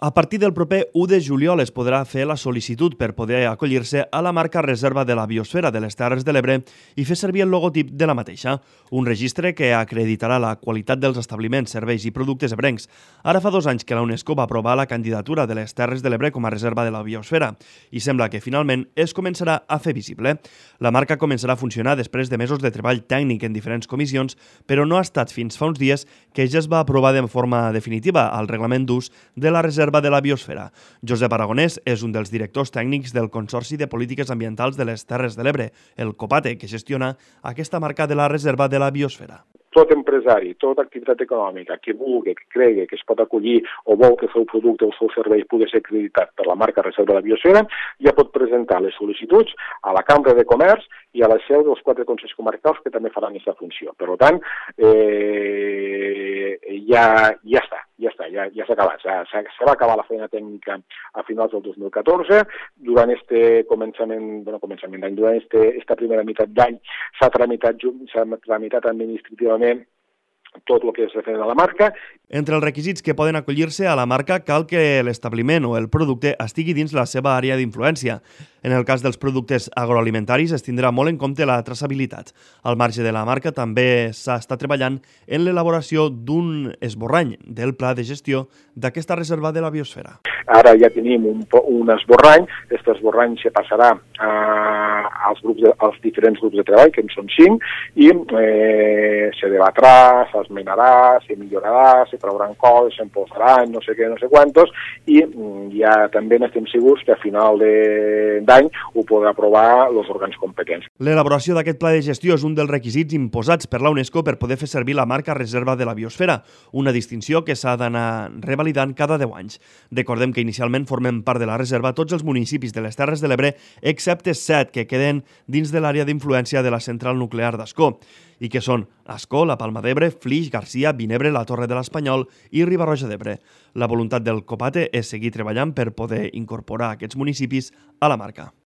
A partir del proper 1 de juliol es podrà fer la sol·licitud per poder acollir-se a la marca Reserva de la Biosfera de les Terres de l'Ebre i fer servir el logotip de la mateixa, un registre que acreditarà la qualitat dels establiments, serveis i productes ebrencs. Ara fa 2 anys que la UNESCO va aprovar la candidatura de les Terres de l'Ebre com a Reserva de la Biosfera i sembla que finalment es començarà a fer visible. La marca començarà a funcionar després de mesos de treball tècnic en diferents comissions, però no ha estat fins fa uns dies que ja es va aprovar de forma definitiva el reglament d'ús de la Reserva de la Biosfera. Josep Aragonès és un dels directors tècnics del Consorci de Polítiques Ambientals de les Terres de l'Ebre, el COPATE, que gestiona aquesta marca de la Reserva de la Biosfera. Tot empresari, tota activitat econòmica que vulgui, que cregui que es pot acollir o vol que el seu producte o el seu servei pugui ser acreditat per la marca Reserva de la Biosfera, ja pot presentar les sol·licituds a la Cambra de Comerç i a la seu dels 4 consells comarcals que també faran aquesta funció. Per tant, ja s'ha acabat. Se va acabar la feina tècnica a finals del 2014. Durant esta primera meitat d'any s'ha tramitat administrativament tot el que és referent a la marca. Entre els requisits que poden acollir-se a la marca cal que l'establiment o el producte estigui dins la seva àrea d'influència. En el cas dels productes agroalimentaris es tindrà molt en compte la traçabilitat. Al marge de la marca també s'està treballant en l'elaboració d'un esborrany del pla de gestió d'aquesta reserva de la biosfera. Ara ja tenim un esborrany. Aquest esborrany se passarà als diferents grups de treball, que en són 5, i se debatrà, s'esmenarà, se millorarà, se trauran coses, se'n posaran, no sé què, no sé quantos, i ja també n'estem segurs que a final d'any ho podrà aprovar els òrgans competents. L'elaboració d'aquest pla de gestió és un dels requisits imposats per la UNESCO per poder fer servir la marca Reserva de la Biosfera, una distinció que s'ha d'anar revalidant cada 10 anys. Recordem que inicialment formen part de la reserva tots els municipis de les Terres de l'Ebre, excepte 7 que queden dins de l'àrea d'influència de la central nuclear d'Ascó, i que són Ascó, la Palma d'Ebre, Flix, Garcia, Vinebre, la Torre de l'Espanyol i Riba-roja d'Ebre. La voluntat del COPATE és seguir treballant per poder incorporar aquests municipis a la marca.